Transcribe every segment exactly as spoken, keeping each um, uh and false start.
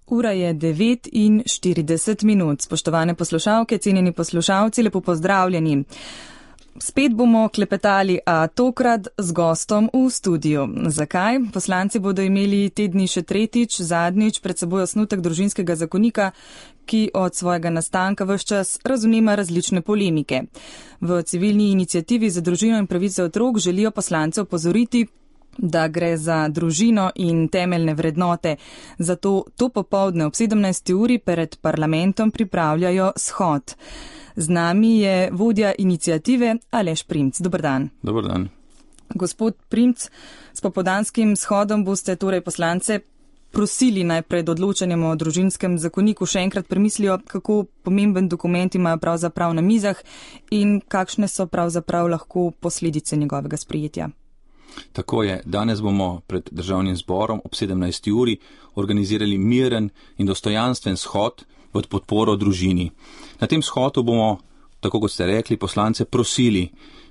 Ura je devet in štirideset minut. Spoštovane poslušalke, cenjeni poslušalci, lepo pozdravljeni. Spet bomo klepetali, a tokrat z gostom v studiu. Zakaj? Poslanci bodo imeli te dni še tretjič, zadnjič pred seboj osnutek družinskega zakonika, ki od svojega nastanka ves čas razumema različne polemike. V civilni iniciativi za družino in pravice otrok želijo poslance opozoriti, da gre za družino in temeljne vrednote. Zato to popoldne ob sedemnajsti uri pred parlamentom pripravljajo shod. Z nami je vodja iniciative Aleš Primc. Dobar dan. Dobar dan. Gospod Primc, s popoldanskim shodom boste torej poslance prosili najprej do odločanjem o družinskem zakoniku še enkrat premislijo, kako pomemben dokument imajo pravzaprav na mizah in kakšne so pravzaprav lahko posledice njegovega sprejetja. Tako je. Danes bomo pred državnim zborom ob sedemnajsti uri organizirali miren in dostojanstven shod v podporo družini. Na tem shodu bomo, tako kot ste rekli, poslance prosili,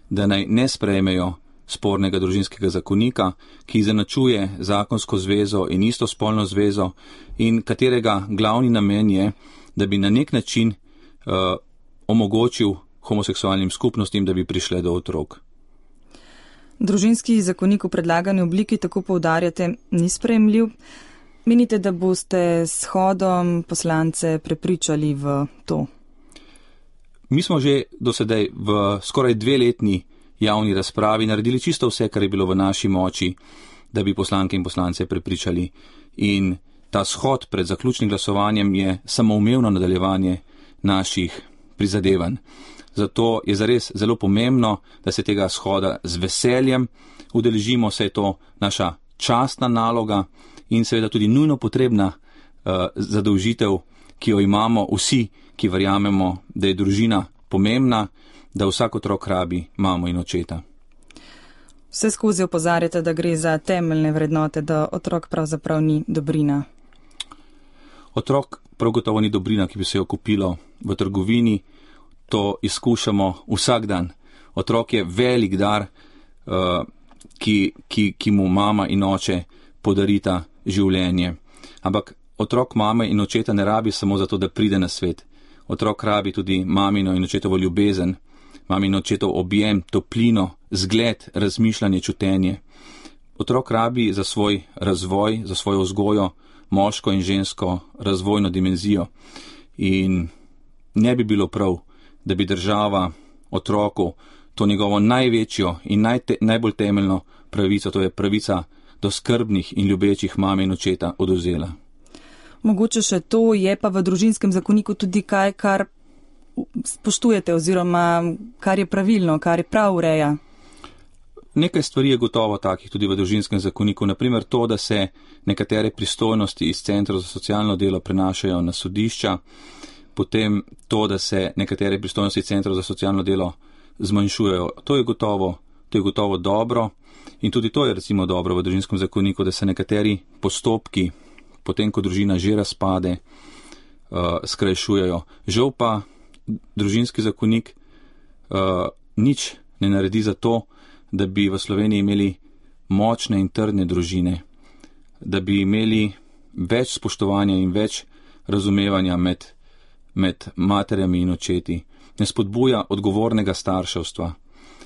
da naj ne sprejmejo spornega družinskega zakonika, ki izenačuje zakonsko zvezo in istospolno zvezo in katerega glavni namen je, da bi na nek način uh, omogočil homoseksualnim skupnostim, da bi prišle do otrok. Družinski zakonik v predlagani obliki, tako poudarjate, ni sprejemljiv. Menite, da boste s shodom poslance prepričali v to? Mi smo že dosedaj v skoraj dveletni javni razpravi naredili čisto vse, kar je bilo v naši moči, da bi poslanke in poslance prepričali. In ta shod pred zaključnim glasovanjem je samoumevno nadaljevanje naših prizadevanj. Zato je zares zelo pomembno, da se tega shoda z veseljem udeležimo, saj je to naša častna naloga in seveda tudi nujno potrebna uh, zadolžitev, ki jo imamo vsi, ki verjamemo, da je družina pomembna, da vsak otrok rabi mamo in očeta. Vse skozi opozarjate, da gre za temeljne vrednote, da otrok pravzaprav ni dobrina. Otrok prav gotovo ni dobrina, ki bi se jo kupilo v trgovini. To izkušamo vsak dan. Otrok je velik dar, uh, ki, ki, ki mu mama in oče podarita življenje. Ampak otrok mame in očeta ne rabi samo zato, da pride na svet. Otrok rabi tudi mamino in očetovo ljubezen, mami in očetov objem, toplino, zgled, razmišljanje, čutenje. Otrok rabi za svoj razvoj, za svojo vzgojo, moško in žensko razvojno dimenzijo. In ne bi bilo prav, da bi država otroku to njegovo največjo in najte, najbolj temeljno pravico, to je pravica do skrbnih in ljubečih mame in očeta, odvzela. Mogoče še to, je pa v družinskem zakoniku tudi kaj, kar spoštujete oziroma kar je pravilno, kar je prav ureja. Nekaj stvari je gotovo takih tudi v družinskem zakoniku, naprimer to, da se nekatere pristojnosti iz centrov za socialno delo prenašajo na sodišča, potem to, da se nekatere pristojnosti centrov za socialno delo zmanjšujejo. To je gotovo, to je gotovo dobro in tudi to je recimo dobro v družinskem zakoniku, da se nekateri postopki, potem ko družina že razpade, uh, skrajšujejo. Žal pa družinski zakonik uh, nič ne naredi za to, da bi v Sloveniji imeli močne in trdne družine, da bi imeli več spoštovanja in več razumevanja med med materjami in očeti, ne spodbuja odgovornega starševstva.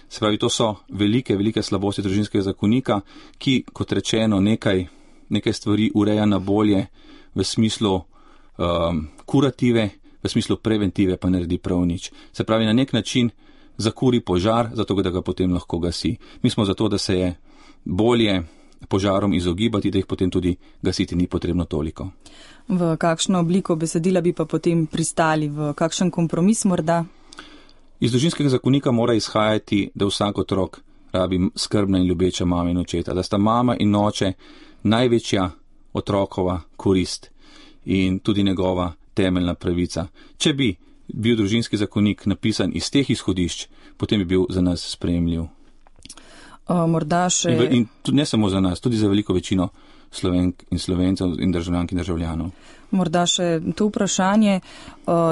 Se pravi, to so velike, velike slabosti družinskega zakonika, ki, kot rečeno, nekaj, nekaj stvari ureja na bolje v smislu um, kurative, v smislu preventive pa naredi prav nič. Se pravi, na nek način zakuri požar, zato da ga potem lahko gasi. Mi smo zato, da se je bolje požarom izogibati, da jih potem tudi gasiti ni potrebno toliko. V kakšno obliko besedila bi pa potem pristali, v kakšen kompromis morda? Iz družinskega zakonika mora izhajati, da vsak otrok rabi skrbna in ljubeča mama in očeta, da sta mama in oče največja otrokova korist in tudi njegova temeljna pravica. Če bi bil družinski zakonik napisan iz teh izhodišč, potem bi bil za nas sprejemljiv. O, morda še... In, in tudi ne samo za nas, tudi za veliko večino Slovenk in Slovencev in državljank in državljanov. Morda še to vprašanje,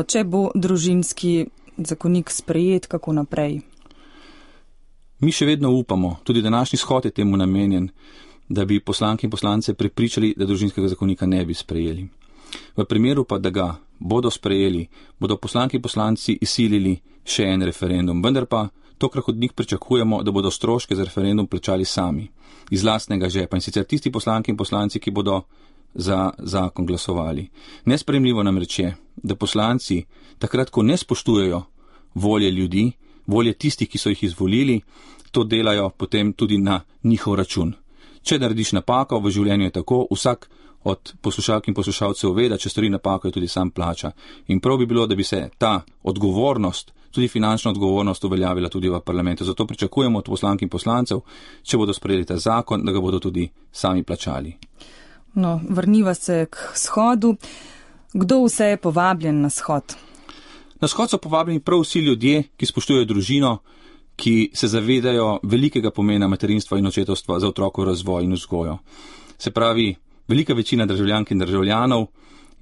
če bo družinski zakonik sprejet, kako naprej? Mi še vedno upamo, tudi današnji shod je temu namenjen, da bi poslanke in poslance prepričali, da družinskega zakonika ne bi sprejeli. V primeru pa, da ga bodo sprejeli, bodo poslanki in poslanci izsilili še en referendum, vendar pa tokrat od njih pričakujemo, da bodo stroške za referendum plačali sami, iz lastnega žepa, in sicer tisti poslanki in poslanci, ki bodo za zakon glasovali. Nesprejemljivo namreč je, da poslanci takrat, ko ne spoštujejo volje ljudi, volje tistih, ki so jih izvolili, to delajo potem tudi na njihov račun. Če narediš napako, v življenju je tako, vsak od poslušalk in poslušalcev ve, da če stori napako, jo tudi sam plača. In prav bi bilo, da bi se ta odgovornost, tudi finančna odgovornost, uveljavila tudi v parlamentu. Zato pričakujemo od poslank in poslancev, če bodo sprejeli ta zakon, da ga bodo tudi sami plačali. No, vrniva se k shodu. Kdo vse je povabljen na shod? Na shod so povabljeni prav vsi ljudje, ki spoštujejo družino, ki se zavedajo velikega pomena materinstva in očetovstva za otrokov razvoj in vzgojo. Se pravi, velika večina državljank in državljanov,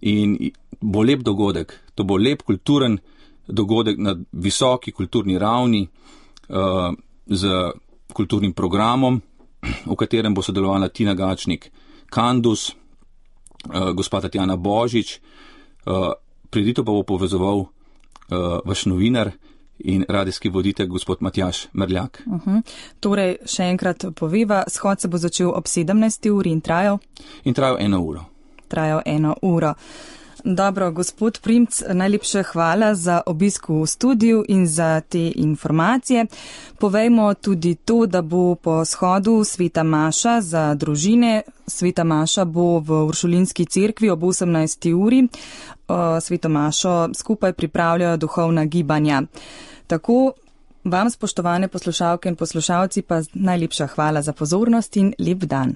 in bo lep dogodek. To bo lep kulturen dogodek na visoki kulturni ravni uh, z kulturnim programom, v katerem bo sodelovala Tina Gačnik Kandus, uh, gospa Tatjana Božič, uh, prireditev pa bo povezoval uh, vaš novinar in radijski voditelj gospod Matjaž Merljak. Uh-huh. Torej, še enkrat poveva, shod se bo začel ob sedemnajsti uri in trajal? In trajal eno uro. Trajal eno uro. Dobro, gospod Primc, najlepše hvala za obisk v studiu in za te informacije. Povejmo tudi to, da bo po shodu Sveta Maša za družine. Sveta Maša bo v Uršulinski cerkvi ob osemnajsti uri. Sveto Mašo skupaj pripravljajo duhovna gibanja. Tako vam, spoštovane poslušalke in poslušalci, pa najlepša hvala za pozornost in lep dan.